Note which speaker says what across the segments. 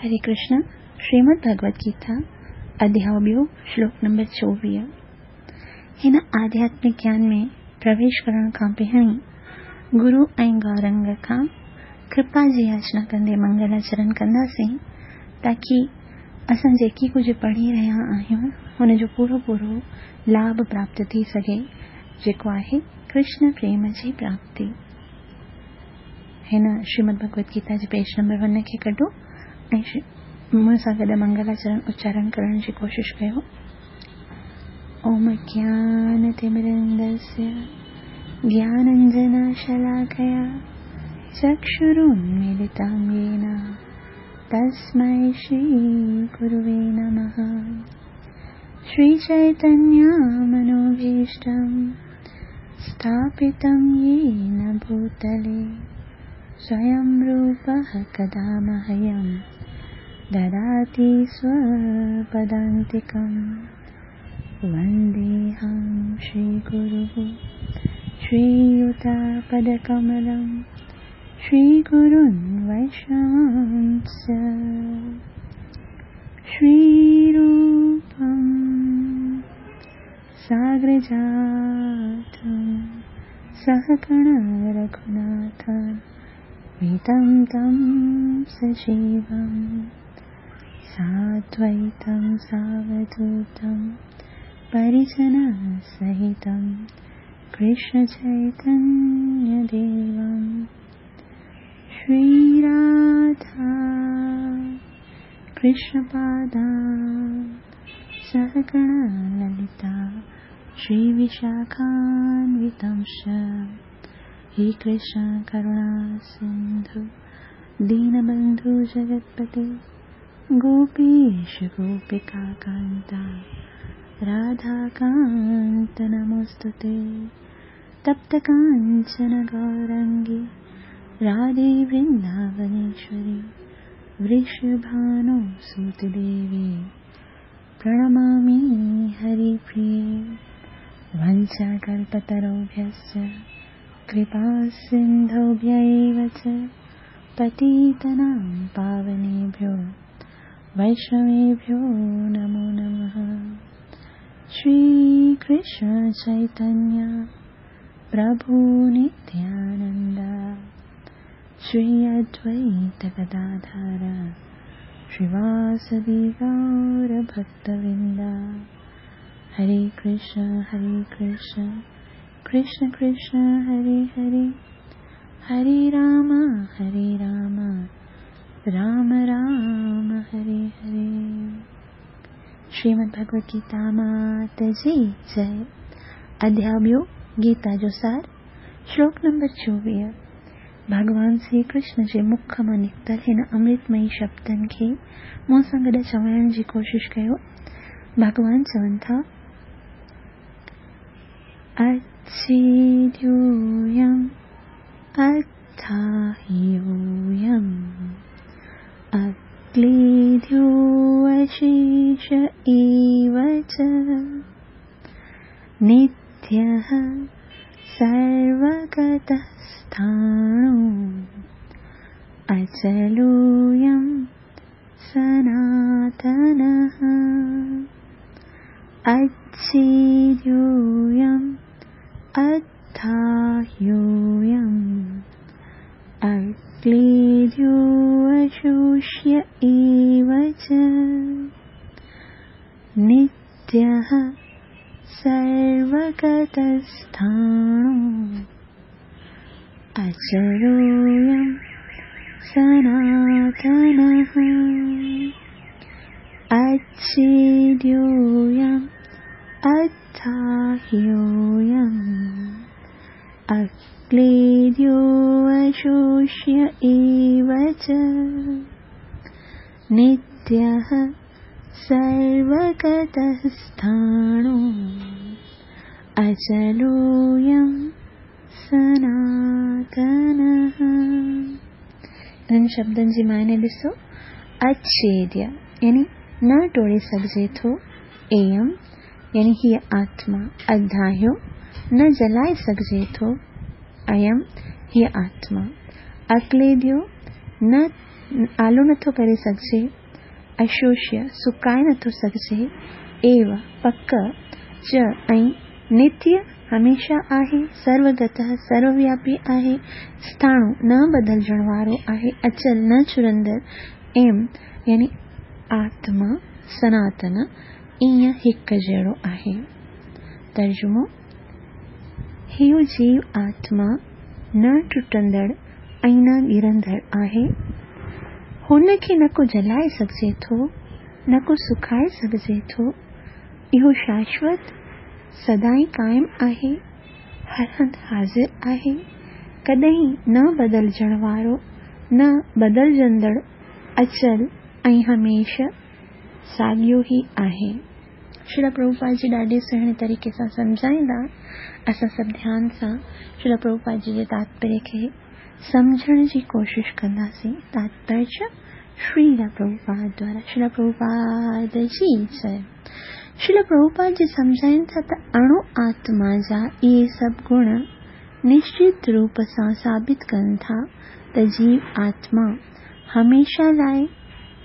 Speaker 1: هري ڪرشن، شريمد ڀڳوت گيتا، اڌياء ٻيو، شلوڪ نمبر 24. هن آڌياتمڪ گيان ۾ پرويش ڪرڻ کان پهرين گرو ۽ گورنگ کان ڪرپا جي ياچنا ڪندي منگلاچرن ڪنداسين تاڪي اسان جيڪي ڪجهه پڙهي رهيا آهيون ان جو پورو پورو لاڀ پراپت ٿي سگهي جيڪو آهي ڪرشن پريم جي پراپتي. هن شريمد ڀڳوت گيتا جي پيج نمبر ون کي ڪڍو ۽ مون سان گڏ منگلاچرن اچارڻ ڪرڻ جي ڪوشش ڪيو. اوم اجنانتمرندسي گياننجنشلاکيا چڪشرونملتم يين تسمي شري گروي نمه. شري چيتنيه منوڀيشٽم स्थापितं येन भूतले स्वयं रूपः कदा मह्यं ददाति स्वपदान्तिकं। वन्देऽहं श्रीगुरुः श्रीयुतपदकमलं श्रीगुरुन् वैष्णवांश्च। श्रीरूपं साग्रजातं सहगण रघुनाथान्वितं तं सजीवं साद्वैतं सावधूतं परिजनसहितं कृष्णचैतन्यदेवं। श्रीराधा कृष्णपादान् सहगण ललिता श्रीविशाखान्वितंश्च। हे कृष्ण करुणा सिन्धु दीनबन्धु जगत्पते गोपेश गोपिकान्ता राधाकान्त नमोऽस्तु ते। तप्तकाञ्चन गौरङ्गी राधे वृन्दावनेश्वरी वृषभानुसुते देवी प्रणमामि हरिप्रिये। वञ्चाकल्पतरुभ्यश्च कृपासिन्धुभ्य एव च पतितानां पावनेभ्यो वैष्णवेभ्यो नमो नमः। श्रीकृष्ण चैतन्य प्रभु नित्यानन्द श्री अद्वैत गदाधर श्रीवासदि गौरभक्तवृन्द। हरे कृष्ण हरे कृष्ण कृष्ण कृष्ण हरे हरे, हरे राम हरे राम राम राम हरे हरे। श्रीमद् भगवद गीता मात जी जय। अध्याय ॿियो, गीता जो सार, श्लोक नंबर 24। भॻवान श्री कृष्ण जे मुख मां निकितल हिन अमृतमयी शब्दनि खे मूं सां गॾु चवण जी कोशिश कयो। भॻवान चवनि था, अच्छेद्योऽयम् अद्धाह्योऽयम् अक्लेद्यो अशेष एव च नित्यः सर्वगतः स्थाणु अचलोऽयं सनातनः। अच्छेद्योऽयम् अद्धाह्योऽयम् अक्लेद्यो अशोष्य एव च नित्यः सर्वगतस्थाणु अचलोऽयं सनातनः। अच्छेद्योऽयम् अद्धाह्योऽयम् अक्लेद्यो अशोष्य एव च नित्यः सर्वगतः स्थाणु अचलोऽयं सनातनः। इन्हनि शब्दनि जी मायने ॾिसो, अच्छेद्य यानी न टोड़े सघिजे थो, एयम यानी हीअ आत्मा, अधाह्यो न जलाए सघिजे थो, अयम हीअ आत्मा, अक्लेद्यो न آلو نٿو ڪري سگهجي، اشوشيه، سڪائي نٿو سگهجي، ايو، پڪ، چ ۽ نتيه، هميشه آهي، سروگتः، سرووياپي آهي، اسٿاڻو، نه بدلجڻ وارو آهي، اچل، نه چرندڙ، ايم، يعني آتما، سناتن، ائين هڪ جهڙو آهي. ترجمو، هيء جيو آتما نه ٽٽندڙ ۽ نه ڳرندڙ آهي. هن کي نه ڪو جلائي سگهجي ٿو، نه ڪو سڪائي سگهجي ٿو. اهو شاشوت، سدائين قائم آهي، هر هنڌ حاضر آهي، ڪڏهن نه بدلجڻ وارو، نه بدلجندڙ، اچل ۽ هميشه ساڳيو ئي آهي. شريلا پرڀوپاد جي ڏاڍي سهڻي طريقي سان سمجهائيندا. اسان سڀ ڌيان سان شريلا پرڀوپاد جي جي تاتپريه کي سمجهڻ جي ڪوشش ڪنداسين. تاتپريه شريلا پرڀوپاد دوارا شريلا پرڀوپاد جي جئي. شريلا پرڀوپاد جي سمجهائين ٿا ته اڻو آتما جا اهي سڀ گڻ نشچت روپ سان ثابت ڪن ٿا ته جيو آتما هميشه لاء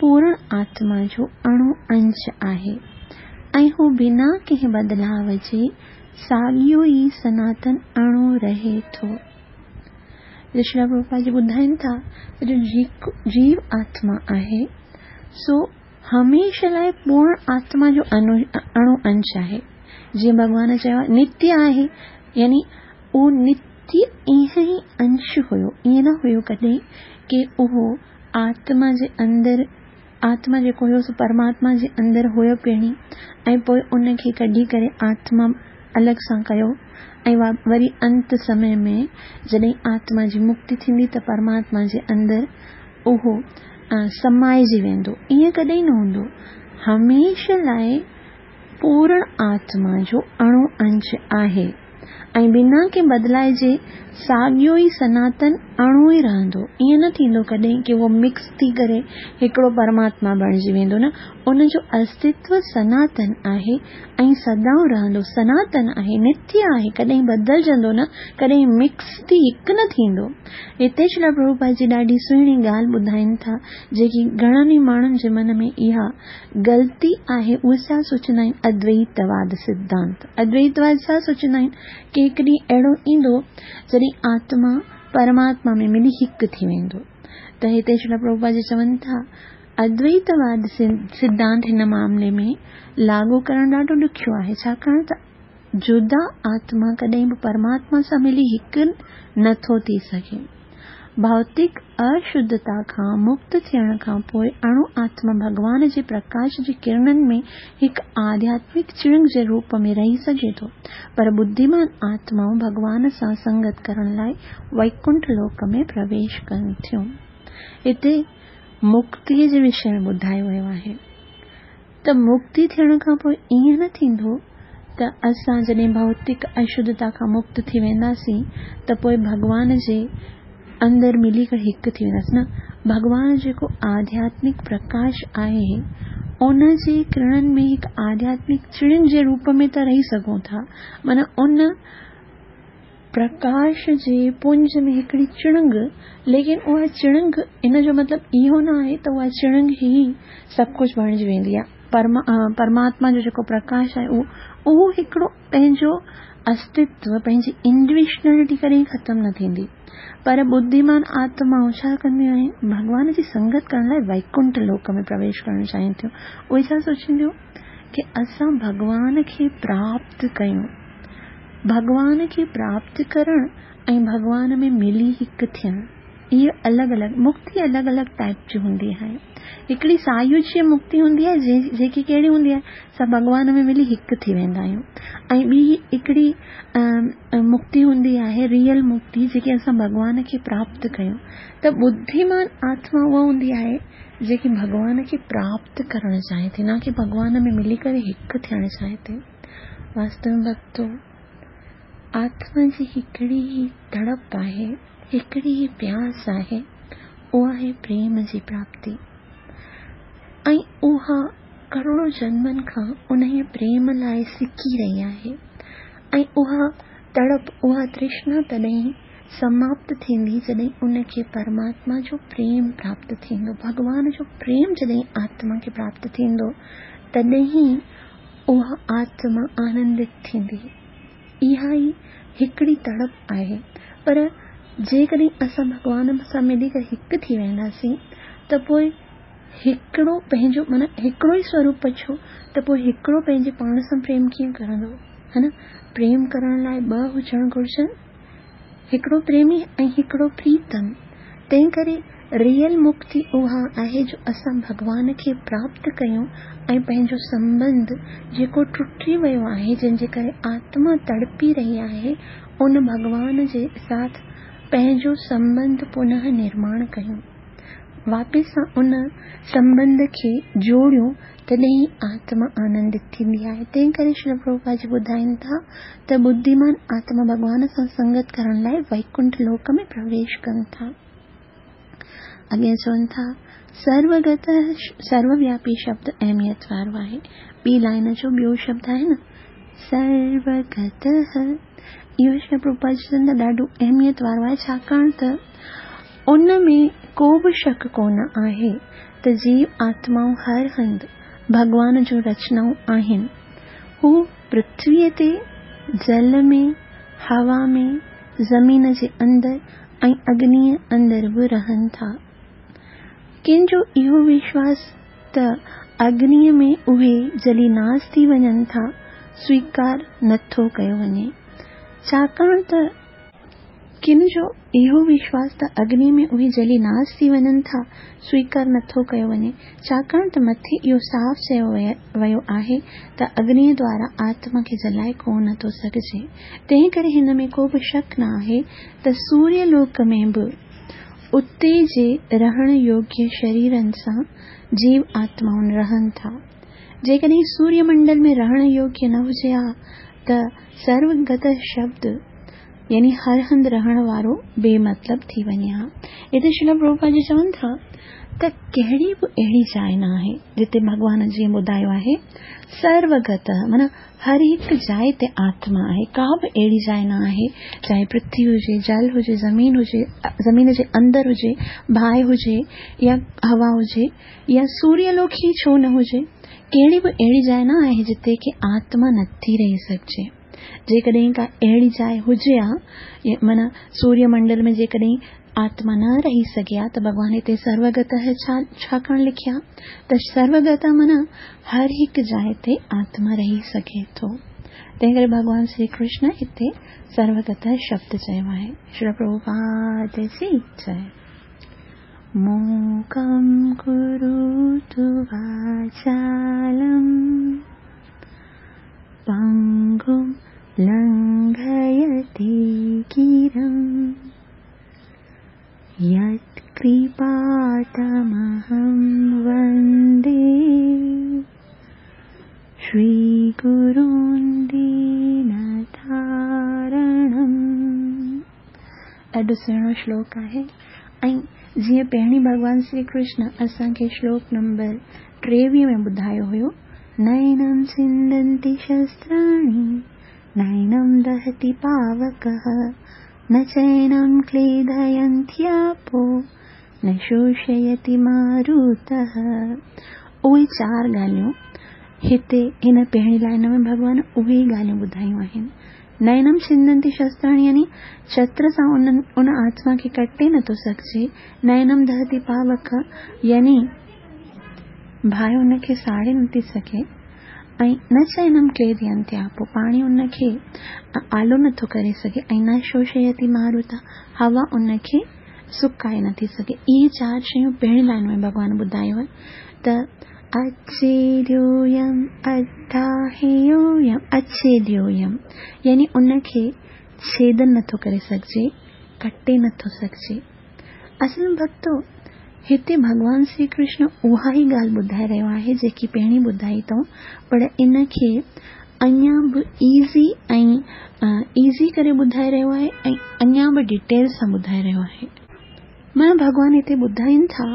Speaker 1: پورڻ آتما جو اڻو انش آهي ۽ هو بنا ڪنهن بدلاء جي ساڳيو ئي سناتن اڻو رهي ٿو. شريلا پرڀوپاد جي ٻڌائين ٿا ته جو جيو آتما آهي سو هميشه لاء پورڻ آتما جو اڻو انش آهي. جيئن ڀڳوان چيو آهي نتيه آهي يعني اهو نتيه ائين ئي انش هيو، ائين نه هيو ڪڏهن ڪي اهو آتما جي اندر آتما جيڪو هيو سو پرماتما جي اندر هيو پهرين ۽ پوء ان کي ڪڍي ڪري آتما الڳ سان ڪيو ۽ وري انت سمي ۾ جڏهن آتما جي مڪتي ٿيندي ته پرماتما جي اندر اهو سمائجي ويندو. ائين ڪڏهن نه هوندو. هميشه لاء پورڻ آتما جو اڻو انش آهي ۽ بنا ڪنهن بدلاء جي ساڳيو ئي سناتن اڻو ئي رهندو. ائين نه ٿيندو ڪڏهن ڪي اهو مڪس ٿي ڪري هڪڙو پرماتما بڻجي ويندو نه، ان جو استتو سناتن آهي ۽ سدائون رهندو. سناتن آهي، نتيه آهي، ڪڏهن بدلجندو نه، ڪڏهن مڪس ٿي هڪ نه ٿيندو. هتي شريلا پرڀوپاد جي ڏاڍي سهڻي ڳالهه ٻڌائين ٿا، جيڪي گهڻن ئي ماڻهن جي من ۾ اها غلطي آهي اهي ڇا سوچيندا آهن ادويتواد سڌانت ادويتواد ڇا سوچيندا آهن ڪي هڪ ڏينهن اهڙو ايندو جڏهن آتما پرماتما ۾ ملي هڪ ٿي ويندو ته هتي شريلا پرڀوپاد جي چون ٿا ادويتواد سڌانت هن معاملي ۾ لاڳو ڪرڻ ڏاڍو ڏکيو آهي ڇاڪاڻ ته جدا آتما ڪڏهن به پرماتما سان ملي هڪ نه ٿو ٿي سگهي. ڀوتڪ اشڌتا کان مڪت ٿيڻ کان پوء اڻو آتما ڀڳوان جي پرڪاش جي ڪرڻن ۾ هڪ آڌياتمڪ چڻنگ جي روپ ۾ رهي سگهي ٿو، پر ٻڌيمان آتمائون ڀڳوان سان سنگت ڪرڻ لاء ويڪنٺ لوڪ ۾ پرويش ڪن ٿيون. هتي مڪتيء جي وشي ۾ ٻڌايو ويو آهي. ته مڪتي ٿيڻ کان پوء ائين نه ٿيندو ته اسان جڏهن ڀوتڪ اشڌتا کان مڪت ٿي وينداسين ته پوء ڀڳوان جي اندر ملي ڪري هڪ ٿي وينداسين نه ڀڳوان جيڪو آڌياتمڪ پرڪاش آهي ان جي ڪرڻن ۾ هڪ آڌياتمڪ چڻنگ جي روپ ۾ ته رهي سگهون ٿا معنيٰ ان پرڪاش جي پنج ۾ هڪڙي چڻنگ، ليڪن اها چڻنگ، ان جو مطلب اهو نه آهي ته اها چڻنگ ئي سڀ ڪجهه بڻجي ويندي آهي. پرماتما جو جيڪو پرڪاش آهي اهو اهو هڪڙو پنهنجو استتو، پنهنجي انڊويشنلٽي ڪڏهن ختم نه ٿيندي. پر ٻڌيمان آتمائون ڇا ڪنديون آهن؟ ڀڳوان جي سنگت ڪرڻ لاء ويڪنٺ لوڪ ۾ پرويش ڪرڻ چاهين ٿيون. اهي ڇا سوچينديون؟ ڪي اسان ڀڳوان کي پراپت ڪيون. ڀڳوان کي پراپت ڪرڻ ۽ ڀڳوان ۾ ملي هڪ ٿيڻ اهي الڳ الڳ مڪتي الڳ الڳ ٽائيپ جي هوندي آهي. هڪڙي سايوجيه مڪتي هوندي آهي جيڪي ڪهڙي هوندي آهي اسان ڀڳوان ۾ ملي هڪ ٿي ويندا آهيون ۽ ٻي هڪڙي مڪتي هوندي آهي ريئل مڪتي جيڪي اسان ڀڳوان کي پراپت ڪيون ته ٻڌيمان آتما اها هوندي آهي جيڪي ڀڳوان کي پراپت ڪرڻ چاهي ٿي نه ڪي ڀڳوان ۾ ملي ڪري هڪ ٿيڻ چاهي ٿي. واستو ۾ ڀڳتو، آتما جي هڪڙي ئي تڙپ آهي، هڪڙي ئي پياس آهي، اها آهي پريم جي پراپتي. ۽ اها ڪروڙون جنمن کان انهيء پريم لاء سڪي رهي آهي. ۽ اها تڙپ، اها ترشنا تڏهن سماپت ٿيندي جڏهن ان کي پرماتما جو پريم پراپت ٿيندو. ڀڳوان جو پريم جڏهن آتما کي پراپت ٿيندو، تڏهن ئي اها آتما آنندت ٿيندي. اها ئي هڪڙي تڙپ آهي. پر جيڪڏهن اسان ڀڳوان سان ملي ڪري هڪ ٿي وينداسين ته پوء هڪڙو پنهنجو معنيٰ هڪڙو ئي سوروپ بچيو ته پوء هڪڙو پنهنجي پاڻ سان پريم ڪيئن ڪرندو؟ ها نه؟ پريم ڪرڻ لاء ٻه هجڻ گهرجن. هڪڙو پريمي ۽ هڪڙو پريتم. تنهن ڪري ريئل مڪتي اها آهي جو اسان ڀڳوان کي پراپت ڪيون ۽ پنهنجو سنٻنڌ جيڪو ٽٽي ويو آهي جنهن جي ڪري آتما تڙپي رهي آهي ان ڀڳوان جي ساٿ پنهنجو سنٻنڌ پنه نرماڻ ڪيون. واپس سان ان سنٻنڌ کي جوڙيون تڏهن ئي آتما آنندت ٿيندي آهي. تنهن ڪري شريل پرڀوپاد جي ٻڌائين ٿا ته ٻڌيمان آتما ڀڳوان سان سنگت ڪرڻ لاء ويڪنٺ لوڪ ۾ پرويش ڪن ٿا. اڳيان چون ٿا، سروگت سرووياپي شبد اهميت وارو آهي. ٻي لائن جو ٻيو شبد آهي نه سروگت اهو شريل پرڀوپاد جي چون ٿا ڏاڍو اهميت وارو آهي ڇاڪاڻ ته ان ۾ ڪو به شڪ ڪونه آهي ته جيو آتمائون هر هنڌ ڀڳوان جون رچنائون آهن. هو پرٿويء تي، جل ۾، هوا ۾، زمين جي اندر ۽ اگنيء اندر به رهن ٿا. ڪن جو اهو وشواس ته اگنيء ۾ اهي جلي ناس ٿي وڃن ٿا، سويڪار نٿو ڪيو وڃي. ڇاڪاڻ ته. ڪن جو اهو وشواس ته اگنيء ۾ اهي جلي ناس ٿي وڃن ٿا، سويڪار نٿو ڪيو وڃي، ڇاڪاڻ ته مٿي اهو صاف چيو ويو آهي ته اگنيء دوارا آتما کي جلائي ڪو نه ٿو سگهجي. تنهنڪري هن ۾ ڪو به شڪ نه آهي ته سوريه لوڪ ۾ به اتي جي رهڻ يوگيه شريرن سان جيو آتمائون رهن ٿا. جيڪڏهن سوريه منڊل ۾ رهڻ يوگيه نه هجي ها ته سروگت شبد يعني هر هنڌ رهڻ وارو بي مطلب ٿي وڃي ها. هتي شريل پرڀوپاد جي چون ٿا ته ڪهڙي به اهڙي جاء نه آهي جتي ڀڳوان جيئن ٻڌايو آهي سروگت معنيٰ هر هڪ جاء تي آتما آهي ڪا به اهڙي جاء نه آهي چاهي پرٿوي هجي جل هجي زمين هجي زمين جي اندر هجي باهه هجي يا هوا هجي يا سوريه لوڪ ئي ڇو نه هجي ڪهڙي به اهڙي جاء نه آهي جتي ڪي آتما نٿي رهي سگهجي. جيڪڏهن ڪا اهڙي جاء هجي ها، معنيٰ سوريه منڊل ۾ جيڪڏهن آتما نه رهي سگهي ها ته ڀڳوان هتي سروگتهه ڇا ڇاڪاڻ لکي ها ته سروگتهه معنيٰ هر هڪ جاء تي آتما رهي سگهي ٿو. تنهن ڪري ڀڳوان شري ڪرشن هتي سروگتهه شبد چيو آهي. شريل پرڀوپاد جي جئي. موڪم ڪروتو واچالم. پنگم لنگهيتي گرم يتڪرپا تمهم وندي شري گرون دينتارڻم. ڏاڍو سهڻو شلوڪ آهي ۽ جيئن پهرين ڀڳوان شري ڪرشن اسان کي شلوڪ نمبر 23 ۾ ٻڌايو هيو نينم ڇندنتي شستراڻي نينم دهتي پاوڪه نه چينم ڪليدينتياپو نه شوشيتي ماروته اهي چار ڳالهيون هتي هن پهرين لائن ۾ ڀڳوان اهي ئي ڳالهيون ٻڌايون آهن. نينم ڇندنتي شستراڻي يعني شستر سان ان آتما کي ڪٽي نٿو سگهجي. نينم دهتي پاوڪ يعني باهه ان کي ساڙي نٿي سگهي ۽ نه چينم ڪليدينتياپو پاڻي ان کي آلو نٿو ڪري سگهي ۽ نه شوشيتي ماروتا هوا ان کي سڪائي نٿي سگهي. اهي چار شيون پهرين لائن ۾ ڀڳوان ٻڌايو آهي ته اڇيديويم اڌاهيويم اڇيديويم يعني ان کي ڇيدن نٿو ڪري سگهجي، ڪٽي نٿو سگهجي. اصل ۾ ڀڳتو هتي ڀڳوان شري ڪرشن اها ئي ڳالهه ٻڌائي رهيو آهي جيڪي پهرين ٻڌائي اٿئون پر ان کي اڃا به ايزي ۽ ايزي ڪري ٻڌائي رهيو آهي ۽ اڃا به ڊيٽيل سان ٻڌائي رهيو آهي. معنيٰ ڀڳوان هتي ٻڌائين ٿا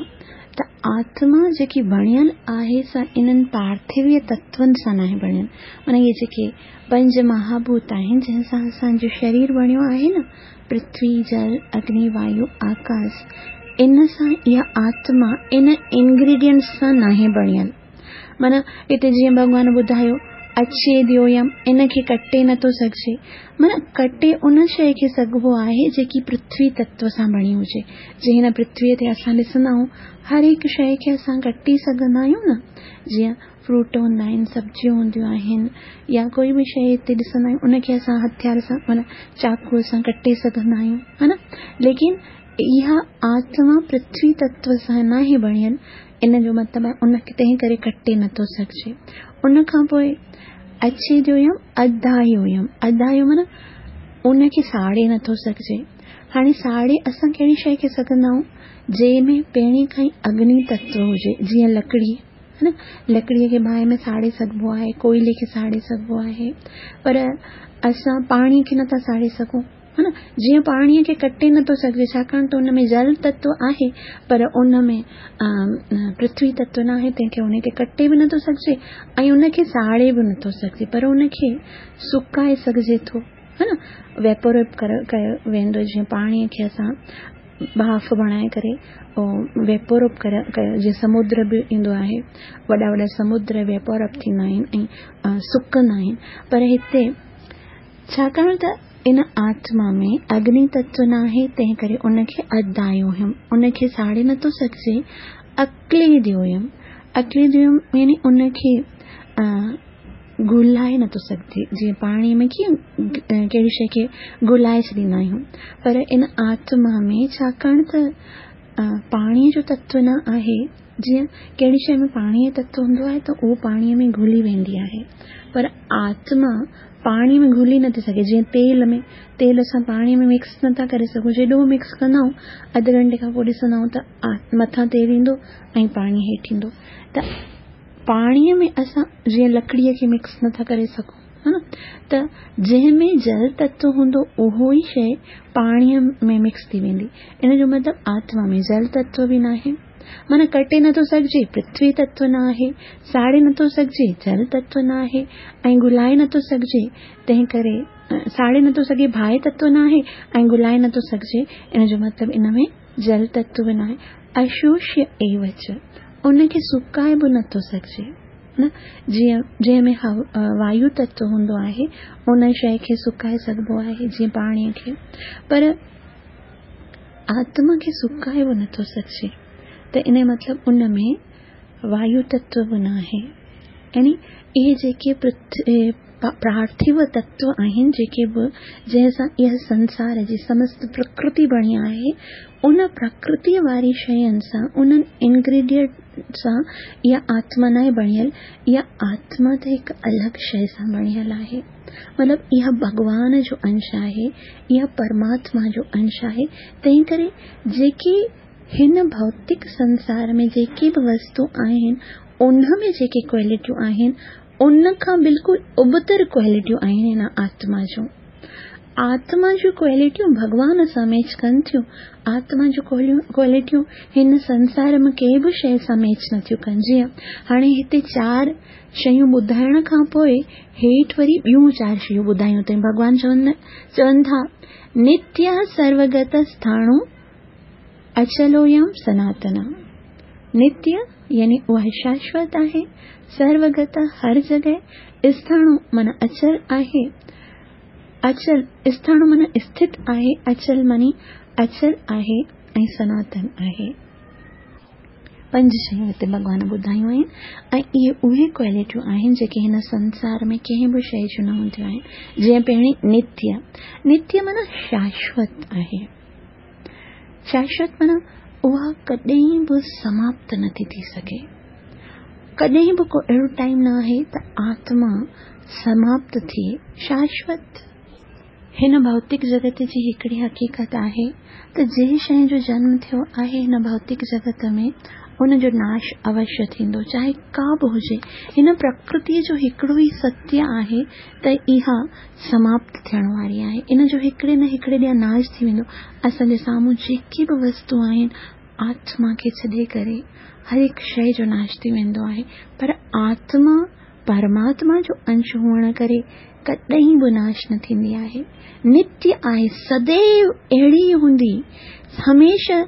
Speaker 1: ته آتما جيڪي بڻيل آهي سا انهن پارٿويه تتون سان ناهي بڻيل. معنيٰ اهي جيڪي پنج مهاڀوت آهن جنهن سان اسان جو شرير بڻيو آهي نه، پرٿوي، جل، اگني، وايو، آڪاس، ان سان اها آتما ان انگريڊينٽس سان ناهي بڻيل. معنيٰ هتي جيئن ڀڳوان ٻڌايو اڇيديويم ان کي ڪٽي نٿو سگهجي. معنيٰ ڪٽي ان شيء کي سگهبو آهي جيڪي پرٿوي تتو سان بڻي هجي. جيئن هن پرٿويء تي اسان ڏسندا آهيون هر هڪ شيء کي اسان ڪٽي سگهندا آهيون نه جيئن فروٽ هوندا آهن سبزيون هونديون آهن يا ڪوئي به شيء هتي ڏسندا آهيون ان کي اسان هٿيار سان معنيٰ چاقوء سان ڪٽي سگهندا آهيون ها نه ليڪن اها آتما پرٿوي تتو سان ناهي بڻيل ان جو مطلب آهي ان کي تنهن ڪري ڪٽي نٿو سگهجي. ان کان پوء اڇيديويم اڌايويم، اڌايو معنيٰ ان کي ساڙي نٿو سگهجي. هاڻي ساڙي اسان ڪهڙي شيء کي سگهندا آهيون؟ جنهن ۾ پهرين کان ئي اگني تتو هجي، جيئن لڪڙي، ها نه، لڪڙيء کي باهه ۾ ساڙي سگهبو آهي، ڪوئلي کي ساڙي سگهبو آهي، پر اسان پاڻي کي نٿا ساڙي سگهون. ها نه جيئن پاڻيء کي ڪٽي نٿو سگهجي ڇاڪاڻ ته ان ۾ جل تتو آهي پر ان ۾ پرٿوي تتو ناهي تنهن کي ان کي ڪٽي به نٿو سگهجي ۽ ان کي ساڙي به نٿو سگهجي پر ان کي سڪائي سگهجي ٿو ها نه ويپوريٽ ڪيو ويندو جيئن پاڻيء کي اسان ٻاڦ بڻائي ڪري ويپور اپ ڪيو جيئن سمندر به ايندو آهي وڏا وڏا سمندر ويپور اپ ٿيندا آهن ۽ سڪندا آهن پر هتي ڇاڪاڻ ته ان آتما ۾ اگني تتو ناهي، تنهنڪري ان کي ادايوهم، ان کي ساڙي نٿو سگهجي، اڪليديويم، اڪليديويم يعني ان کي گهلائي نٿو سگهجي، جيئن پاڻي ۾ ڪيئن ڪهڙي شيء کي گهلائي ڇڏيندا آهيون، پر ان آتما ۾ ڇاڪاڻ ته پاڻيء جو تتو نه آهي، جيئن ڪهڙي شيء ۾ پاڻيء جو تتو هوندو آهي ته اهو پاڻيء ۾ گهلي ويندي آهي، پر آتما پاڻيء ۾ گهلي نٿي سگهي، جيئن تيل ۾، تيل اسان پاڻيء ۾ مڪس نٿا ڪري سگهون، جيڏو به مڪس ڪندا آهيون، اڌ گهنٽي کان پوء ڏسندا آهيون ته مٿان تيل ايندو ۽ پاڻي هيٺ ايندو ته پاڻيء ۾ اسان جيئن لڪڙيء کي مڪس نٿا ڪري سگهون ها نه ته جنهن ۾ جل تتو هوندو اهو ئي شيء پاڻيء ۾ مڪس ٿي ويندي، ان جو مطلب آتما ۾ جل تتو به ناهي. معنيٰ ڪٽي نٿو سگهجي، پرٿوي تتو نه آهي، ساڙي نٿو سگهجي، جل تتو نه آهي ۽ گهلائي نٿو سگهجي، تنهن ڪري ساڙي نٿو سگهي، باهه تتو نه آهي ۽ گهلائي نٿو سگهجي، ان جو مطلب ان ۾ جل تتو به ناهي. اشوشيه ايو چ، ان کي سڪائي به نٿو سگهجي. نه جيئن جنهن ۾ وايو تتو هوندو آهي، ان شيء کي سڪائي سگهبو آهي، جيئن پاڻيء کي، پر آتما کي سڪائي به نٿو سگهجي ته ان جو مطلب ان ۾ وايو تتو به ناهي يعني اهي جيڪي پارٿو تتو آهن جيڪي به جنهن سان اها سنسار جي سمست پرڪرتي بڻي آهي ان پرڪرتي واري شين سان انهن انگريڊينٽ سان اها آتما ناهي بڻيل اها آتما ته هڪ الڳ شيء سان بڻيل آهي. مطلب اها ڀڳوان جو انش آهي، اها پرماتما جو انش آهي، تنهنڪري جيڪي هن ڀوتڪ سنسار ۾ جيڪي به وستو آهن، ان ۾ جيڪي ڪوالٽيون آهن، ان کان بلڪل ابتڙ ڪوالٽيون آهن هن آتما جون. آتما جون ڪوالٽيون ڀڳوان سان ميچ ڪن ٿيون، آتما جون ڪوالٽيون هن سنسار ۾ ڪنهن به شيء سان ميچ نٿيون ڪن. جيئن هاڻي هتي چار شيون ٻڌائڻ کان پوء هيٺ وري ٻيون چار شيون ٻڌايون اٿئي. ڀڳوان چون ٿا، نتيه سروگت اسٿاڻو اچلويم سناتن. نتيه يعني اها شاشوت آهي، سروگت هر جڳهه، اسٿاڻو معنيٰ اچل آهي، اچل اسٿاڻو معنيٰ اسٿت آهي، اچل معني اچل آهي ۽ سناتن آهي. پنج شيون هتي ڀڳوان ٻڌايون آهن ۽ اهي اهي ڪوالٽيون آهن جيڪي هن سنسار ۾ ڪنهن به شيء جون نه هونديون آهن. جيئن پهرين نتيه، نتيه معنيٰ شاشوت آهي. شاشوت معنيٰ اها ڪڏهن به سماپت نٿي ٿي سگهي. ڪڏهن به ڪو اهڙو ٽائيم نه آهي ته آتما سماپت ٿئي. شاشوت هن ڀوتڪ جڳت جي هڪڙي حقيقت آهي ته جنهن شيء جو جنم ٿيو آهي هن ڀوتڪ جڳت ۾ ان جو ناش اوشيه ٿيندو چاهي ڪا به هجي. هن پرڪرتيء جو هڪڙو ئي ستيه آهي ته اها سماپت ٿيڻ واري آهي. ان جو هڪڙي نه هڪڙي ڏينهن ناش ٿي ويندو. اسان جي سامهون جيڪي به وستو آهن. آتما کي ڇڏي ڪري هر هڪ شيء جو ناش ٿي ويندو آهي، پر آتما پرماتما جو انش هئڻ ڪري ڪڏهن به ناش نه ٿيندي آهي. نتيه آهي، سديو اهڙي ئي هوندي، هميشه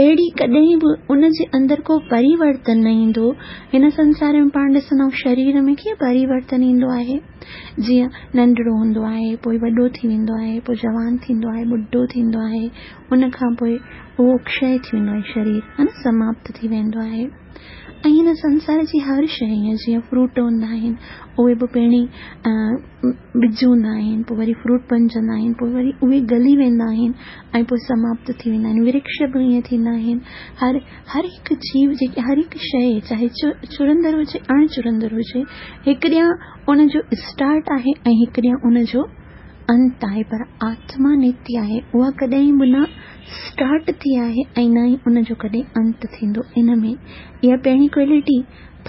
Speaker 1: اهڙي، ڪڏهن به ان جي اندر ڪو پريورتن نه ايندو. هن سنسار ۾ پاڻ ڏسندا آهيون شرير ۾ ڪيئن پريورتن ايندو آهي، جيئن ننڍڙو هوندو آهي، پوء وڏو ٿي ويندو آهي، پوء جوان ٿيندو آهي، ٻڍو ٿيندو آهي، ان کان پوء اهو ڪشي ٿي ويندو آهي، شرير ها نه سماپت ٿي ويندو آهي. ۽ هن سنسار جي هر شيء ائين جيئن فروٽ هوندا آهن اهي به پهرين ٻج هوندا آهن پوء وري فروٽ بنجندا آهن پوء وري اهي گلي ويندا آهن ۽ پوء سماپت ٿي ويندا آهن ورڪش به ائين ٿيندا آهن هر هر هڪ جيو جيڪي هر هڪ شيء چاهي چرندڙ هجي اڻ چرندڙ هجي هڪ ڏينهن ان جو اسٽارٽ آهي ۽ هڪ ڏينهن ان جو انت آهي پر آتما نتيه آهي اها ڪڏهن به نه اسٽارٽ ٿي آهي ۽ نه ئي ان جو ڪڏهن انت ٿيندو. ان ۾ اها پهرين ڪوالٽي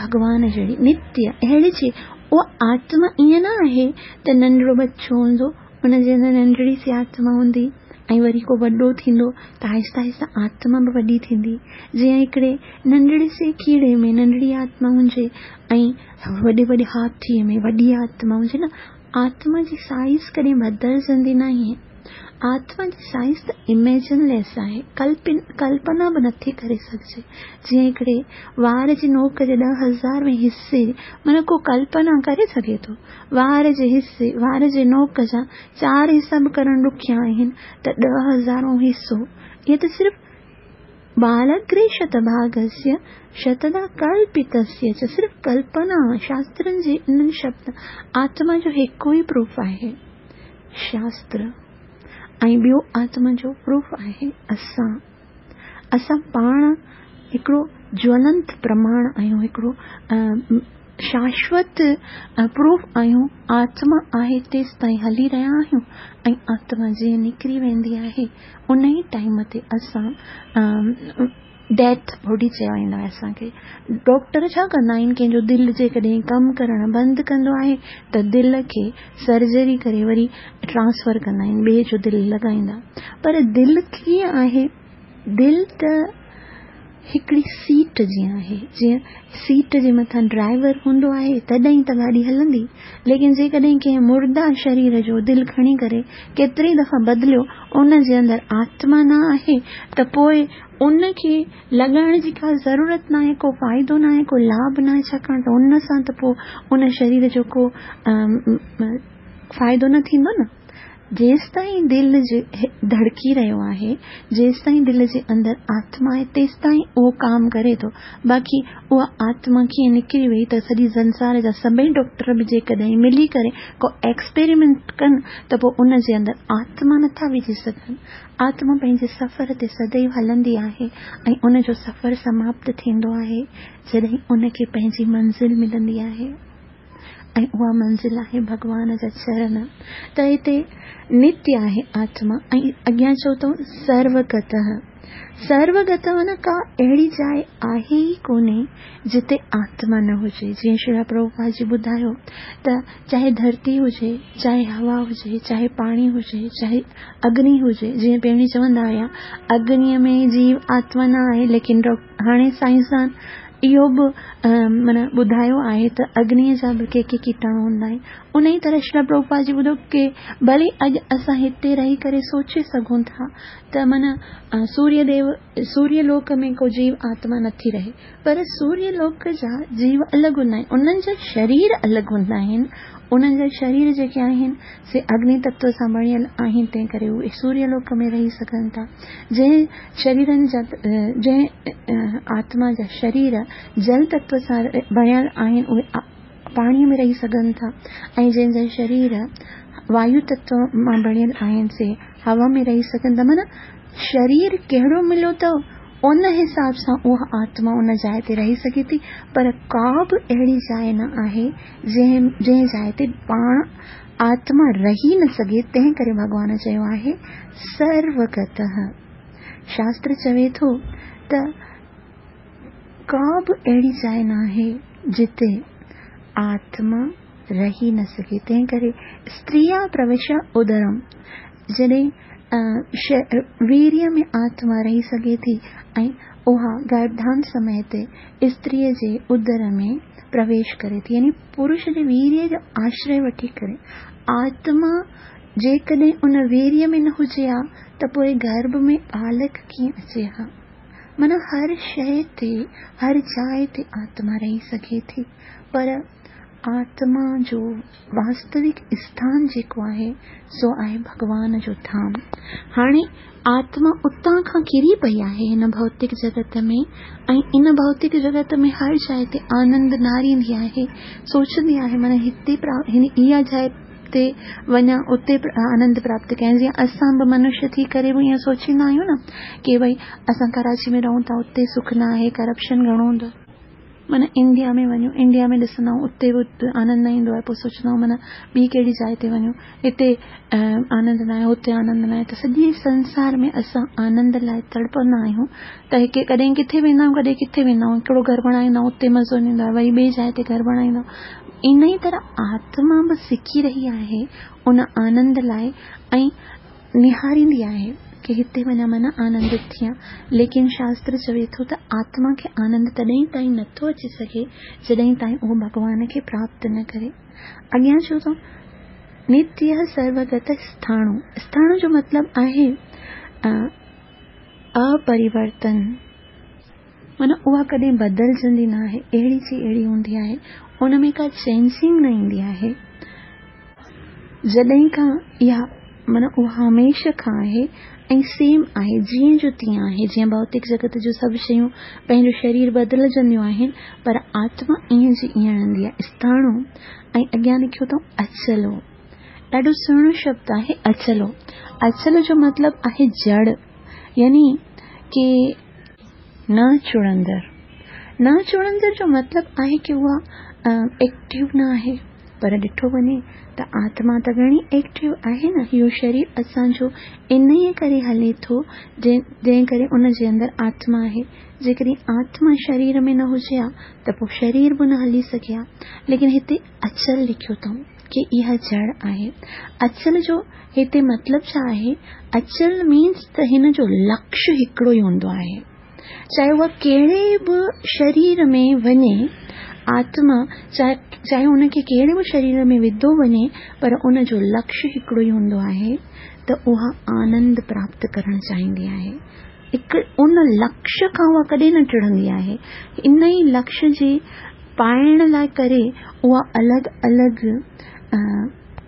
Speaker 1: ڀڳوان جهڙي نتيه اهڙي جي اها آتما ائين نه آهي ته ننڍڙو ٻچو هوندو ان جي اندر ننڍڙي سي آتما هوندي ۽ وري ڪو وڏو ٿيندو ته آهستي آهستي آتما به وڏي ٿيندي جيئن هڪڙي ننڍڙي سي ڪيڙي ۾ ننڍڙي آتما هجي ۽ وڏي وڏي هاٿي ۾ وڏي آتما هجي نه آتما جي سائيز ڪڏهن بدلجندي ناهي. آتما جي سائيز ته اميجن ليس آهي، ڪلپنا به نٿي ڪري سگهجي. جيئن هڪڙي وار جي نوڪ جي 10,000 وين حصي معنيٰ ڪو ڪلپنا ڪري سگهي ٿو. وار جي حصي، وار جي نوڪ جا چار حصا به ڪرڻ ڏکيا آهن ته 10,000 هون حصو، اهي ته صرف بالاگري شتڀاگسيه شتدا ڪلپتسيه چ صرف ڪلپنا شاسترن جي انهن شبد آتما جو هڪ ئي پروف آهي شاستر ۽ ٻيو آتما جو پروف آهي اسان اسان پاڻ هڪڙو جولنت پرماڻ آهيون هڪڙو شاشوت پروف آهيون، آتما آهي تيستائين هلي رهيا آهيون ۽ آتما جيئن نڪري ويندي آهي ان ئي ٽائيم تي اسان ڊيٿ باڊي چيو ويندو آهي اسان کي ڊاڪٽر ڇا ڪندا آهن ڪنهن جو دل جيڪڏهن ڪم ڪرڻ بند ڪندو آهي ته دل کي سرجري ڪري وري ٽرانسفر ڪندا آهن ٻئي جو دل لڳائيندا پر دل ڪيئن آهي دل ته هڪڙي سيٽ جيئن آهي، جيئن سيٽ جي مٿان ڊرائيور هوندو آهي تڏهن ئي ته گاڏي هلندي، ليڪن جيڪڏهن ڪنهن مرده شرير جو دل کڻي ڪري ڪيتري دفعا بدليو ان جي اندر آتما نه آهي ته پوء ان کي لڳائڻ جي ڪا ضرورت ناهي، ڪو فائدو ناهي، ڪو لاڀ ناهي ڇاڪاڻ ته ان سان ته پوء ان شرير جو ڪو فائدو نه ٿيندو نه. جيستائين دل ڌڙڪي رهيو آهي، جيستائين دل جي اندر آتما آهي، تيستائين اهو ڪام ڪري ٿو. باقي اها آتما ڪيئن نڪري وئي ته سڄي سنسار جا سڀئي ڊاڪٽر به جيڪڏهن ملي ڪري ڪو ايڪسپيريمينٽ ڪن ته پوء ان جي اندر آتما نٿا وجهي سگهن. آتما پنهنجي سفر تي سديو هلندي آهي ۽ ان جو سفر سماپت ٿيندو آهي جڏهن ان کي پنهنجي منزل ملندي آهي. ۽ اها منزل آهي ڀڳوان جا چرن ته هتي نتيه آهي آتما ۽ اڳيان چئو ٿو سروگتهه سروگتهه معنيٰ ڪا اهڙي جاء آهي ئي ڪونهي جتي آتما نه هجي جيئن شريلا پرڀوپاد جي ٻڌايو ته چاهي ڌرتي هجي چاهي هوا هجي چاهي پاڻي هجي چاهي اگني هجي جيئن پهرين چوندا هيا اگنيء ۾ جيو آتما نه آهي ليڪن هاڻي سائنسدان اهو به معنيٰ ٻڌايو آهي ته اگنيء جا به ڪي ڪي ڪيٽاڻو هوندا آهن. انهيء طرح شريلا پرڀوپاد جي ٻڌو ڪي ڀلي اڄ اسان هتي رهي ڪري سوچي سگهون ٿا ته معنيٰ سوريه ديو سوريه لوڪ ۾ ڪو جيو آتما نٿي رهي پر سوريه لوڪ جا جيو الڳ هوندا آهن انهن جا شرير الڳ هوندا آهن انهن جا شرير جيڪي آهن سي اگني تتو سان بڻيل آهن تنهن ڪري اهي سوريه لوڪ ۾ رهي سگهن ٿا جنهن شريرن جا جنهن آتما جا شرير جل تتو سان بڻيل آهن اهي پاڻيء ۾ رهي سگهن ٿا ۽ جنهن جا شرير وايو تتو مان بڻيل آهن سي هوا ۾ رهي سگهن ٿا معنيٰ شرير ڪهڙو مليو اٿو ان حساب سان اها آتما ان جاء تي رهي سگهي ٿي پر ڪا به اهڙي جاء نه آهي جنهن جنهن جاء تي پاڻ آتما رهي نه سگهي تنهن ڪري ڀڳوان چيو آهي سروگتهه شاستر چوي ٿو ته ڪا به اهڙي جاء ناهي جتي آتما رهي نه سگهي تنهن ڪري استريا پروشا ادرم جڏهن ويريء ۾ آتما رهي سگهي ٿي ۽ اها گرڀڌان سمي تي استريء جي ادر ۾ پرويش ڪري ٿي يعني پرش جي ويريه جو آشري وٺي ڪري. آتما جيڪڏهن ان ويريه ۾ نه هجي ها ته پوء گرڀ ۾ ٻالڪ ڪيئن اچي ها؟ معنيٰ هر شيء تي، هر جاء تي آتما رهي سگهي ٿي، پر آتما جو واستوڪ اسٿان جيڪو آهي، سو آهي ڀڳوان جو ڌام. هاڻي آتما اتان کان ڪري پئي آهي هن ڀوتڪ جڳت ۾ ۽ ان ڀوتڪ جڳت ۾ هر جاء تي آنند نهاريندي آهي، سوچندي آهي معنيٰ هتي اها جاء تي وڃان اتي آنند پراپت ڪيان. جيئن اسان به منشيه ٿي ڪري به ائين سوچيندا آهيون نه ڪي ڀئي اسان ڪراچي ۾ رهون ٿا اتي سک نه آهي، ڪرپشن گهڻو هوندو آهي. معنيٰ انڊيا ۾ وڃون انڊيا ۾ ڏسندا آهيون اتي به آنند نه ايندو آهي پوء سوچندا آهيون معنيٰ ٻي ڪهڙي جاء تي وڃون هتي آنند نه آهي هتي آنند نه آهي ته سڄي سنسار ۾ اسان آنند لاء تڙپندا آهيون ته هڪ ڪڏهن ڪٿي ويندا آهيون ڪڏهن ڪٿي ويندا آهيون هڪڙو گهر بڻائيندا آهيون اتي مزو نه ايندو آهي وري ٻي جاء تي گهر بڻائيندا آهيون انهيء طرح آتما به سڪي رهي آهي ان آنند لاء ۽ نهاريندي آهي ڪي هتي وڃان معنيٰ آنندت ٿيان. ليڪن شاستر چوي ٿو ته آتما کي آنند تڏهن تائين نٿو اچي سگهي جڏهن تائين اهو ڀڳوان کي پراپت نه ڪري. اڳيان چئو ٿو نتيه سروگت اسٿاڻو. اسٿاڻو جو مطلب آهي اپريورتن. معنيٰ اها ڪڏهن بدلجندي نه آهي، اهڙي جي اهڙي هوندي آهي، ان ۾ ڪا چينجنگ نه ايندي آهي. جڏهن کان اها معنيٰ اها هميشه کان آهي ۽ سيم آهي، جيئن جو تيئن آهي، جيئن ڀوتڪ جڳت جون سڀ شيون پنهنجو شرير بدلجنديون آهن، پر آتما ائين جي ائين رهندي آهي. اسٿاڻو ۽ اڳيان لکيو اٿئون اچلو. ڏاڍو سهڻو شبد آهي اچلو. اچل جو مطلب آهي جڙ يعني ڪي نه چڙندڙ. نه چڙندڙ جو مطلب آهي ڪي اها ايڪٽو نه آهي پر ڏٺو وڃي ته آتما ته گهڻي ايڪٽو آهي نه. اهو شرير اسان جو انهيء ڪري هلي ٿو جنهن ڪري ان جي اندر آتما آهي. جيڪڏهن آتما شرير ۾ نه هجي ها ته پوء شرير به نه هلي سگهي ها. ليڪن هتي اچل لکيو اٿئون ڪي اها جڙ آهي. اچل جو هتي مطلب ڇا آهي؟ اچل مينس ته هن جو لڪش هڪڙو ئي هوندو آهي. چاهي اها ڪهڙي به شرير ۾ وڃي، آتما چاهي ان کي ڪهڙي به شرير ۾ وڌو وڃي پر ان جو لڪش هڪڙو ئي هوندو آهي ته اها آنند پراپت ڪرڻ چاهيندي آهي. ان لڪش کان اها ڪڏهن نه ٽڙندي آهي. ان ئي لڪش جي پائڻ لاء ڪري اها الڳ الڳ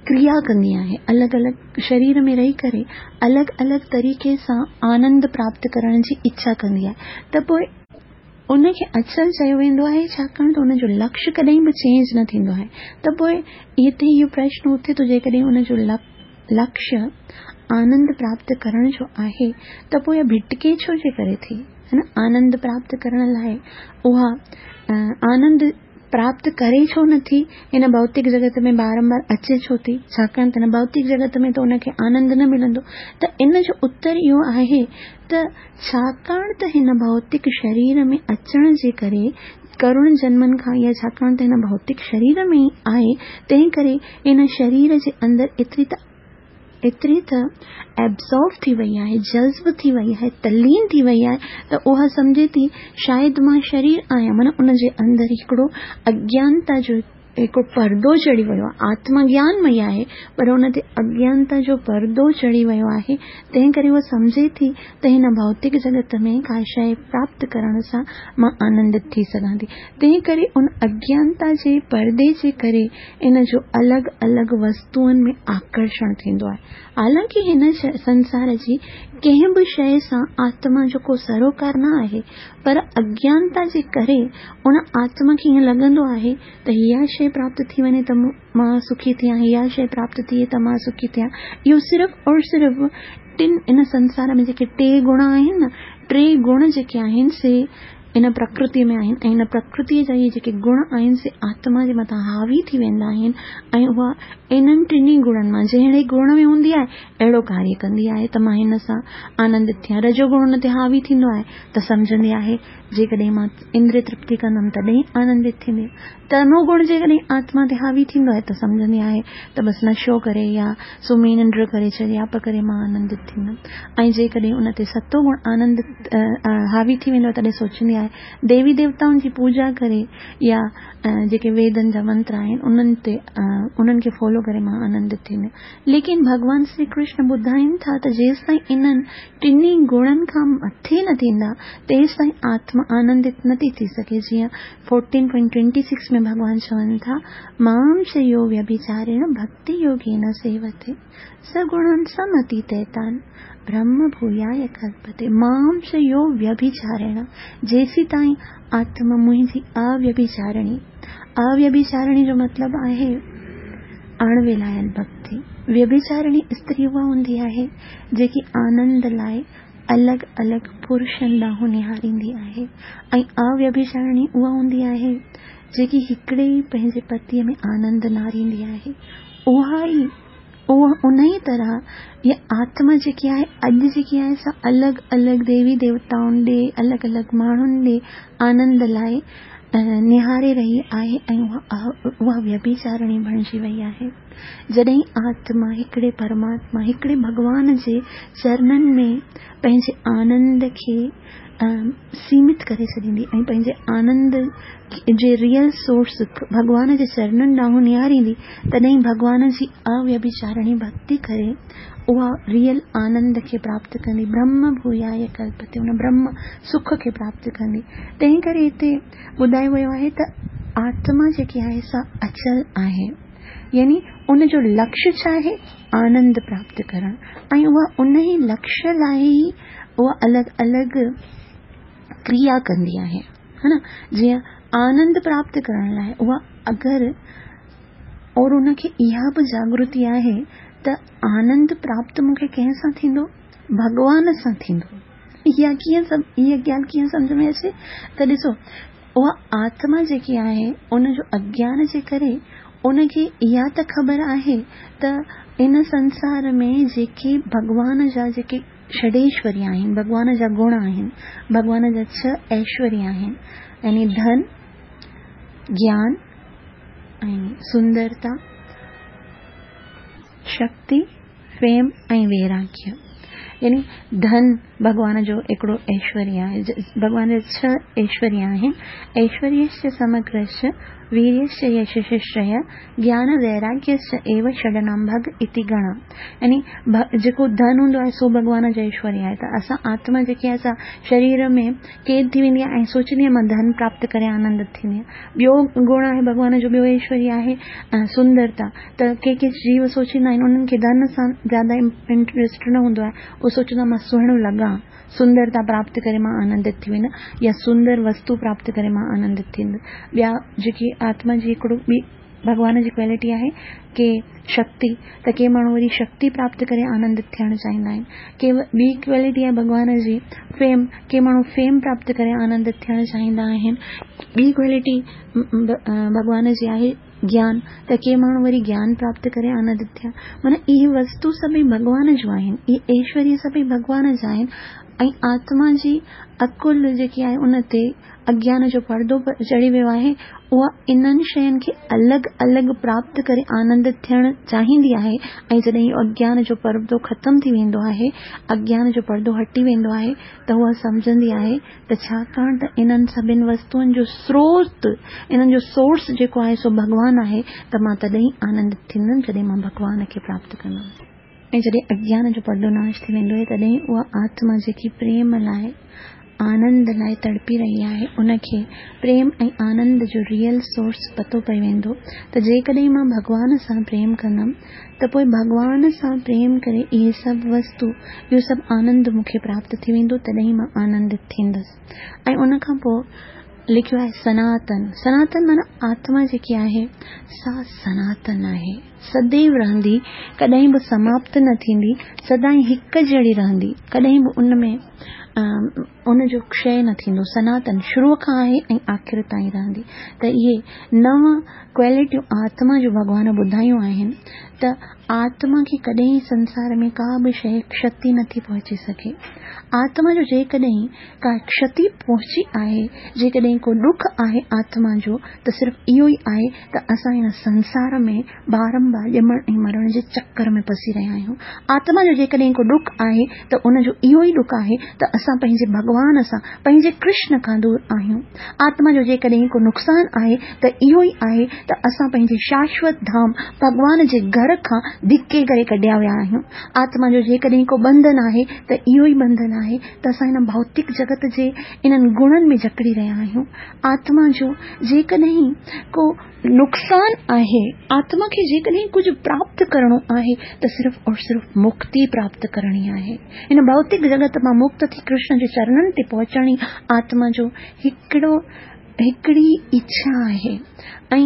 Speaker 1: ڪريا ڪندي آهي. الڳ الڳ شرير ۾ رهي ڪري الڳ الڳ طريقي سان آنند پراپت ڪرڻ جي اڇا ڪندي آهي ته پوء ان کي اچل چيو ويندو آهي ڇاڪاڻ ته ان جو لڪش ڪڏهن به چينج نه ٿيندو آهي ته پوء هتي اهو پرشن اٿي ٿو جيڪڏهن ان جو لڪش آنند پراپت ڪرڻ جو آهي ته پوء اها ڀٽڪي ڇو جي ڪري ٿي؟ هي نه آنند پراپت ڪرڻ لاء اها آنند پراپت ڪري ڇو نه ٿي؟ هن ڀوتڪ جڳت ۾ بارنبار اچي ڇو ٿي؟ ڇاڪاڻ ته هن ڀوتڪ جڳت ۾ ته ان کي آنند نه ملندو ته ان جو اتر اهو آهي ته ڇاڪاڻ ته هن ڀوتڪ شرير ۾ اچڻ جي ڪري ڪروڙن جنمن کان اها ڇاڪاڻ ته هن ڀوتڪ شرير ۾ ئي آهي تنهن ڪري هن شرير جي اندر ايتري ته ايتري ته Absorb ٿي وئي آهي، جذب ٿي وئي آهي، تلين ٿي وئي آهي ته اها سمجهي ٿي شايد مان شرير آهيان معنيٰ ان جي اندر هڪڙو اگيانتا جو هڪڙو پردو چڙهي ويو آهي. آتما گيانمئي آهي پر ان تي اگيانتا جو پردو چڙهي ويو آهي تنهن ڪري هوء سمجهي ٿي ته هن ڀوتڪ جڳت ۾ ڪا شيء پراپت ڪرڻ سان مان آنندت ٿي سگهان ٿي. تنهن ڪري ان اگيانتا جي پردي جي ڪري ان جو الڳ الڳ وستوئن ۾ آڪرشڻ ٿيندو آهي. حالانڪه هن سنسار جي ڪنهن به شيء سان آتما جو ڪو سروڪار نه آهي، پر اگيانتا جي ڪري ان آتما کي ائين لڳندو آهي ته اها شيء پراپت ٿي وڃي ته مان سکي ٿيان، اها شيء پراپت ٿئي ته مان سکي ٿيان. اهو صرف اور صرف ٽن ان سنسار ۾ جيڪي ٽي گڻ آهن نه، ٽي گڻ جيڪي آهن سي ان پرڪرتيء ۾ آهن ۽ ان پرڪرتيء جا اهي جيڪي گڻ آهن سي آتما جي مٿان حاوي ٿي ويندا آهن ۽ اها انهن ٽنهي گڻن مان جهڙي گڻ ۾ هوندي آهي اهڙو ڪاريه ڪندي آهي ته مان هن سان آنندت ٿيان. رجو گڻ ان تي حاوي ٿيندو آهي ته سمجهندي آهي جيڪڏهن مان اندري ترپتي ڪندم تڏهن آنندت ٿيندي. تمو گڻ جيڪڏهن آتما تي حاوي ٿيندو آهي ته سمجهندي آهي ته بس نشو ڪري يا سمهي ننڊ ڪري چريائپ ڪري مان آنندت ٿيندم ۽ جيڪڏهن ان تي ستو گڻ آنند حاوي ٿي ويندو آهي تڏهن سوچيندي آهي ديوي ديوتائن جي پوڄا ڪري يا جيڪي ويدن جا منتر آهن انهن تي انهن کي فالو ڪري مان آنندت ٿيندم ليڪن ڀڳوان شري ڪرشن ٻڌائين ٿا ته جيستائين انهن ٽنهي گڻن کان مٿي نه ٿيندا تيستائين آتما آنندت نه ٿي ٿي سگهي جيئن فورٽين پوائنٽ ٽوئنٽي سڪس ۾ ڀڳوان چون ٿا مام چ يو ويڀچاريڻ ڀڳتي يوگين سيوتي س گڻان سمتيتيتان برهم ڀوياي ڪلپتي مام چ يو ويڀچاريڻ جيسيتائين آتما منهنجي اويڀچارڻي اويڀچارڻي جو مطلب آهي اڻ ولايل ڀڳتي. ويڀچارڻي استري اها هوندي آهي، جيڪي آنند لاء الڳ الڳ پرشن ڏانهن نهاريندي آهي ۽ اويڀچارڻي اها هوندي آهي، جيڪي هڪڙي ئي پنهنجي پتيء ۾ آنند نهاريندي آهي. اها ئي اها انهيء طرح اها آتما جيڪي آهي، اڄ جيڪي آهي سا الڳ الڳ ديوي ديوتائن ڏي، الڳ الڳ ماڻهن ڏي آنند لاء نهاري رهي آهي ۽ اها ويڀچارڻي بڻجي وئي آهي. جڏهن آتما هڪڙي پرماتما، هڪڙي ڀڳوان جي چرنن ۾ پنهنجي آنند کي سيمت ڪري ڇڏيندي ۽ پنهنجي آنند جي ريئل سورس ڀڳوان جي چرنن ڏانهن نهاريندي، تڏهن ڀڳوان جي اويڀچارڻي ڀڳتي ڪري اها ريئل آنند کي پراپت ڪندي، برهم ڀوياي ڪلپتي، ان برهم سک کي پراپت ڪندي. تنهن ڪري هتي ٻڌايو ويو آهي ته آتما جيڪي آهي سا اچل آهي، يعني ان جو لڪش ڇا آهي؟ آنند پراپت ڪرڻ ۽ اها ان ئي لڪش لاء ئي اها الڳ الڳ ڪريا ڪندي آهي، ها نه؟ جيئن آنند پراپت ڪرڻ لاء اها اگر اور ان کي اها به جاڳرتي آهي ته آنند پراپت مون کي ڪنهن سان ٿيندو؟ ڀڳوان سان ٿيندو. اها ڪيئن اها ڳالهه ڪيئن سمجهه ۾ اچي ته ڏسو اها آتما جيڪي آهي ان جو اگيان جي ڪري ان کي اها ته خبر آهي ته ان سنسار ۾ جيڪي ڀڳوان جا جيڪي षडेश्वर्य آهن، ڀڳوان جا گڻ آهن، ڀڳوان جا ڇهه ايشوريه آهن يعني ڌن، گيان، ۽ سندرتا، شڪتي، پريم ۽ ويراگيه يعني ڌن ڀڳوان جو هڪڙو ايشوريه آهي. ڀڳوان جا ڇهه ايشوريه آهن، ايشوريشچ سمگرشچ ويريشچ يشش شريه گيان ويراگيشچ ايو षडनाम ڀڳ اتي گڻا يعني جيڪو ڌن هوندو آهي سو ڀڳوان جو ايشوريه آهي ته اسان آتما جيڪي آهي سا شرير ۾ قيد ٿي ويندي آهي ۽ سوچيندي آهي مان ڌن پراپت ڪري آنندت ٿيندي آهيان. ٻيو گڻ آهي ڀڳوان جو ٻيو ايشوريه آهي سندرتا ته ڪي ڪي جيو سوچيندا آهن انهن کي ڌن سان زياده انٽريسٽ نه هوندو آهي اهي سوچيندا مان سهڻو لڳان سندرتا پراپت ڪري مان آنندت ٿي ويندس يا سندر وستو پراپت ڪري مان آنندت ٿيندس ٻيا جيڪي آتما جي هڪڙو ٻي ڀڳوان جي ڪوالٽي آهي ڪي شڪتي ته ڪي ماڻهو وري شڪتي پراپت ڪري آنندت ٿيڻ چاهيندا آهن ڪي ٻي ڪوالٽي آهي ڀڳوان جي فيم ڪي ماڻهو فيم پراپت ڪري آنندت ٿيڻ چاهيندا آهن ٻي ڪوالٽي ڀڳوان جي آهي گيان ته ڪي ماڻهو وري گيان پراپت ڪري آنندت ٿيا معنيٰ اهي وستو سڀئي ڀڳوان جون آهن اهي ايشوريه سڀئي ڀڳوان جا آهن ۽ آتما جي عقل جيڪي آهي ان تي اگيان جو پردو چڙهي ويو آهي، اها انهن شين کي الڳ الڳ پراپت ڪري آنندت ٿيڻ چاهيندي آهي ۽ جڏهن اهو اگيان جو پردو ختم ٿي ويندو آهي، اگيان جو پردو هٽي ويندو آهي ته اها سمجهندي آهي ته ڇاڪاڻ ته انهن سڀن وستوئن جو سروت، انهن جو سورس جيڪو آهي سو ڀڳوان آهي ته مان تڏهن ئي آنندت ٿيندم جڏهن مان ڀڳوان کي پراپت ڪندم. ۽ جڏهن اگيان جو پردو ناش ٿي ويندو آهي تڏهن اها آتما جيڪي پريم لاء آنند لاء تڙپي رهي آهي ان کي پريم ۽ آنند جو ريئل سورس پتو پئي ويندو ته جيڪڏهن مان ڀڳوان سان پريم ڪندم ته پوء ڀڳوان سان پريم ڪري اهي سڀ وستو اهو سڀ آنند مون کي پراپت ٿي ويندو تڏهن مان آنندت ٿيندس ۽ ان کان پوء. لکيو آهي سناتن. سناتن معنيٰ آتما جيڪي آهي سا سناتن آهي، سديو رهندي، ڪڏهن به سماپت نه ٿيندي، سدائين هڪ جهڙي رهندي، ڪڏهن به ان ۾ ان جو ڪشي نه ٿيندو. سناتن شروع کان آهي ۽ آخر تائين رهندي. ته اهي نو ڪوالٽيون آتما جون ڀڳوان ٻڌايون آهن ته آتما کي ڪڏهن سنسار ۾ ڪا به شيء ڪشتي نٿي پهچي سگهي. آتما جو جيڪڏهن ڪا ڪشتي پهچي آهي، جيڪڏهن ڪو ڏک آهي آتما جو ته صرف اهو ئي آهي ته اسان هن سنسار ۾ بارنبار ڄمڻ ۽ مرڻ جي چڪر ۾ پسي رهيا آهيون. آتما جو جيڪڏهن ڪو ڏک آهي ته ان جو اهو ئي ڏک آهي ته اسان پنهنجي ڀڳوان سان، پنهنجي ڪرشن کان دور آهيون. آتما جو جيڪڏهن ڪو نقصان آهي ته اهو ئي آهي ته اسان پنهنجي شاشوت ڌام ڀڳوان جي گهر کان ڌڪي ڪري ڪڍيا ويا آهيون. آتما جو جيڪڏهن ڪو ٻنڌن آهي ته اهو ئي ٻنڌن آهي ته اسان هن ڀوتڪ جڳت جي انهن گڻن ۾ جڪڙي رهيا آهيون. آتما جو جيڪڏهن ڪو نقصان آهي، آتما کي جيڪڏهن ڪجهه پراپت ڪرڻو آهي ته صرف اور صرف مڪتي پراپت ڪرڻي آهي. هن ڀوتڪ جڳت مان مڪت ٿي ڪرشن جي چرنن تي پهچڻ ئي آتما جو هڪڙو هڪڙي اڇا آهي ۽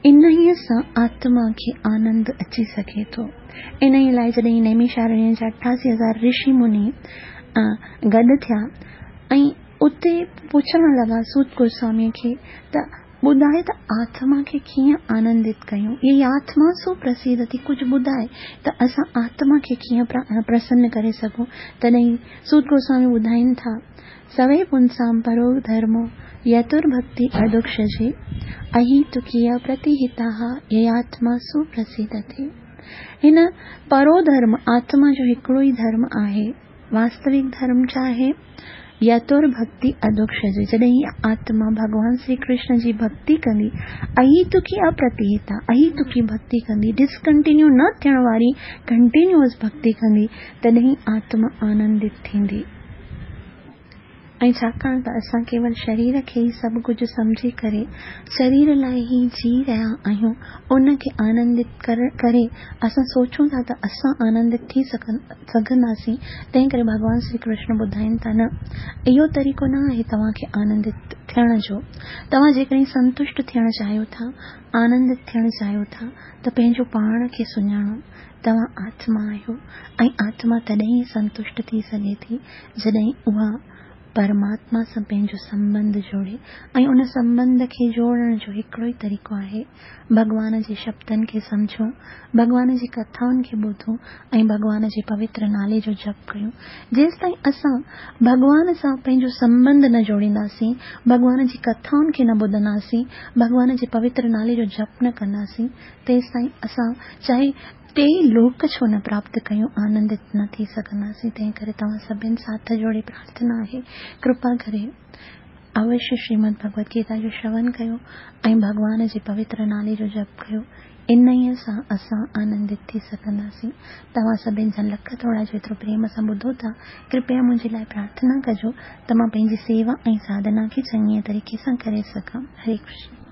Speaker 1: انهيء سان آتما کي آنند اچي سگهي ٿو. انهيء لاء جڏهن نيميشارڻيه جا 88 هزار رشي مني گڏ ٿيا ۽ اتي پڇڻ لڳا سوت گوسواميء کي ته ٻڌاء ته آتما کي ڪيئن آنندت ڪيون؟ يئي آتما سو پرسيدتي ڪجهه ٻڌاء ته اسان آتما کي ڪيئن پرسن ڪري سگهون؟ تڏهن سوت گوسوامي ٻڌائين ٿا. سوي پنسام پرو ڌرمو يترڀڪتي اڌوڪشجي اهيتڪي اپرتيهتاها يياتما سپرسيدتي. هن پرو ڌرم آتما جو هڪڙو ئي ڌرم آهي. واستوڪ ڌرم ڇا آهي؟ يترڀڪتي اڌوڪشجي جڏهن هيء آتما ڀڳوان شري ڪرشن جي ڀڪتي ڪندي اهيتڪي اپرتيهتا اهيتڪي ڀڪتي ڪندي ڊسڪنٽينيو نه ٿيڻ واري ڪنٽينيوئس ڀڪتي ڪندي تڏهن آتما آنندت ٿيندي. ۽ ڇاڪاڻ ته اسان ڪيول شرير کي ئي سڀ ڪجهه سمجهي ڪري شرير لاء ئي جي رهيا آهيون، ان کي آنندت ڪري اسان سوچون ٿا ته اسان آنندت ٿي سگهنداسين، تنهن ڪري ڀڳوان شري ڪرشن ٻڌائين ٿا نه اهو طريقو نه آهي توهان کي آنندت ٿيڻ جو. توهان جيڪڏهن سنتشٽ ٿيڻ چاهيو ٿا، آنندت ٿيڻ چاهيو ٿا ته پنهنجو پاڻ کي سڃاڻو. توهان آتما آهيو ۽ آتما تڏهن ئي سنتشٽ ٿي سگهي ٿي جڏهن اها پرماتما سان پنهنجو سنٻنڌ جوڙي ۽ ان سنٻنڌ کي جوڙڻ جو هڪڙو ئي طريقو آهي ڀڳوان جي شبدن کي سمجهون، ڀڳوان جي ڪٿائن کي ٻڌون ۽ ڀڳوان جي پوتر نالي جو جپ ڪيون. جيستائين اسان ڀڳوان سان پنهنجو سنٻنڌ نه جوڙينداسين، ڀڳوان جي ڪٿائن کي نه ٻڌنداسين، ڀڳوان جي پوتر نالي جو جپ نه ڪنداسين، تيستائين اسان چاهي ٽيئي لوڪ ڇو نه پراپت ڪيون آنندت نه ٿي سگهنداسين تنهن ڪري توهان سڀن سان هٿ جوڙي پرارٿنا آهي ڪرپا ڪري اوشيه شريمد ڀڳوت گيتا جو شرون ڪيو ۽ ڀڳوان جي پوتر نالي جو جپ ڪيو انهيء سان اسان آنندت ٿي سگهنداسين توهان سڀن جا لک ٿورا جو ايترو پريم سان ٻڌو ٿا ڪرپيا منهنجي لاء پرارٿنا ڪجو ته مان پنهنجي سيوا ۽ ساڌنا کي چڱيء طريقي سان ڪري سگهان هري ڪرشن.